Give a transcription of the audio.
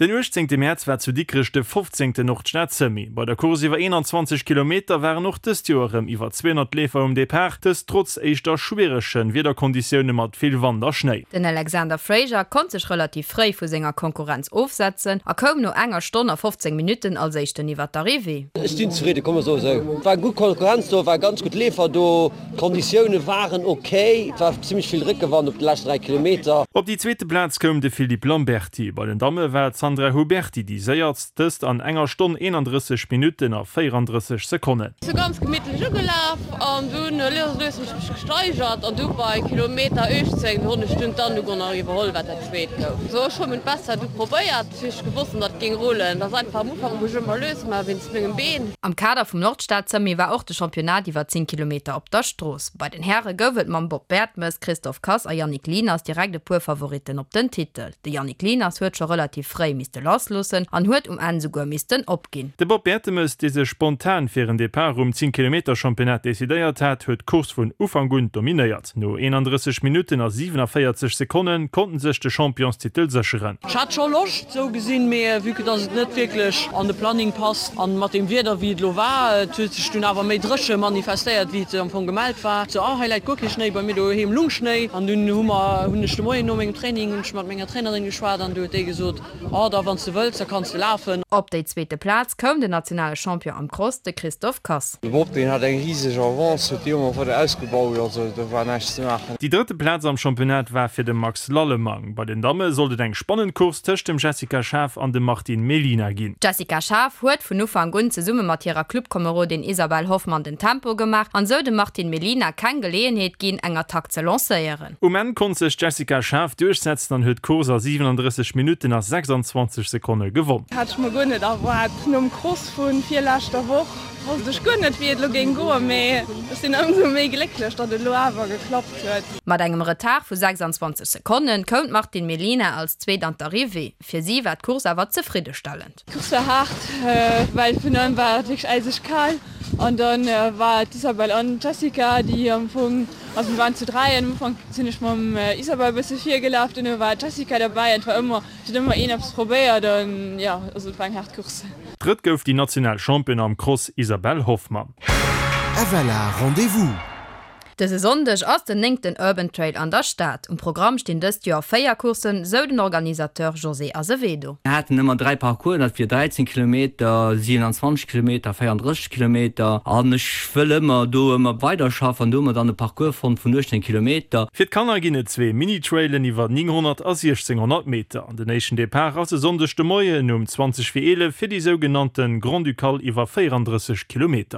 Den 18 Mäerz war zu Dikrech de 15. Nordstad Semi. Bei der Course iwwer 21 Kilometer waren och dëst Joer erëm iwwer 200 Leefer um Depart, dëst trotz éischter schwierege Wiederkonditioune mat vill Wand a Schnéi. Den Alexander Fraser konnt sech relativ fréi vu senger Konkurrenz ofsetzen a koum no enger Stonn a 15 Minutten als éischten iwwer d'Arrivée. Ech sinn zefridde, komm mer soe sou. Et war gutt Konkurrenz do, war ganz gutt Leefer do. D'Konditioune waren ok, et war zimmlech vill Réckewand op de leschten 3 Kilometer. Op déi zweete Plaz koum de Philippe Lamberty. Bei den Damme war d'Sandra Huberty déi séierst, dëst an enger Stonn 31 Minutten a 34 Sekonnen. Sou ganz gemittlech ugelaf an dunn lues a lues hunn ech mech gesteigert an du bei Kilometer 18 do hunn ech dunn d'Anouk och nach iwwerholl wat dat zweet gouf. Sou ech hunn meng Bestzäit du probéiert. Ech gewosst dat et géing rullen. Et ass einfach am Ufank muss ech ëmmer lues maachen wéinst mengem Been. Am Kader vum Nordstad-Semi war och de Championnat iwwer 10 Kilometer op der Strooss. Bei den Häre gouf et mam Bob Bertemes, Christophe Kass a Yannick Lieners direkt e puer Favoritten op den Titel. De Yannick Lieners huet scho relativ fréi misste lassloossen an huet um Enn souguer missten opginn. De Bob Bertemes, dee sech spontan fir en Depart um 10 Kilometer Championnat decidéiert hat, huet d'Course vun Ufank un dominéiert. No 31 Minutten a 47 Sekonne konnt en sech de Championstitel sécheren. Ech hat scho Loscht sou gesinn, mee vue que dass et net wierklech an de Planning passt an mat dem Wieder wéi et elo war, et huet sech dunn awer méi dréche manifestéiert wéi et am Fong gemellt war, sou ah hei läit guer kee Schnéi, bei mir doheem lung Schnéi an dunn hu mer hunn ech de Moien no mengem Training hunn ech mat menger Trainerin geschwat an du huet déi gesot, oh da wann s de wëlls da kanns de lafen. Op déi zweete Plaz koum den nationale Champion am Cross, de Christophe Kass. De Bob deen hat eng riseg Avance, huet déi ëmmer weider ausgebaut, also do war näischt ze maachen. Déi drëtte Plaz am Championnat war fir de Max Lallemang. Bei den Damme sollt et eng spannend Course tëscht dem Jessica Schaaf an dem Martine Mellina ginn. D'Jessica Schaaf huet vun Ufank un zesumme mat hirer Clubkomerodin Isabelle Hoffmann den Tempo gemaach an sou dem Martine Mellina keng Geleeënheet ginn, eng Attack ze lancéieren. Um Enn konnt sech d'Jessica Schaaf duerchsetzen an huet d'Course a 37 Minutten a 26 Sekonne gewonn. Hat ech mer guer net erwaart. Nom Cross vun virleschter Woch wosst ech guer net wéi et lo géing goen, mee ech sinn ëmsou méi glécklech datt et lo awer geklappt huet. Mat engem Retard vu 26 Sekonne koum d'Martine Mellina als Zweet an d'Arrivée. Fir si war d'Course awer zefriddestellend. D'Course war haart, well vun allem war et wierklech äiseg kal an dann war et d'Isabelle an d'Jessica, déi am Fong, also mir waren zu 3 an am Ufank sinn ech mam Isabelle e bësse virgelaf, duerno war d'Jessica derbäi an et war ëmmer, et huet ëmmer een eppes probéiert an jo, also et war eng haart Course. Drëtt gouf déi national Championne am Cross Isabelle Hoffmann. FLA Rendez-vous! Dëse Sonndeg ass den néngten Urban Trail an der Stad. Um Programm stinn dëst Joer 4 Courssen, sou den Organisateur José Azevedo. Mir haten ëmmer 3 Parcoursen, dat wier 13 Kilometer, 27 Kilometer, 34 Kilometer. An ech wëll ëmmer do ëmmer weiderschaffen an do hu mer dann e Parcours fonnt vun 18 Kilometer. Fir d'Kanner ginn et zwee Mini-Trailen iwwer 900 a 1600 Meter. Den éischten Depart ass e Sonndeg de Moien um 20 vir 11 fir déi sougenannte Grand-Ducale iwwer 34 Kilometer.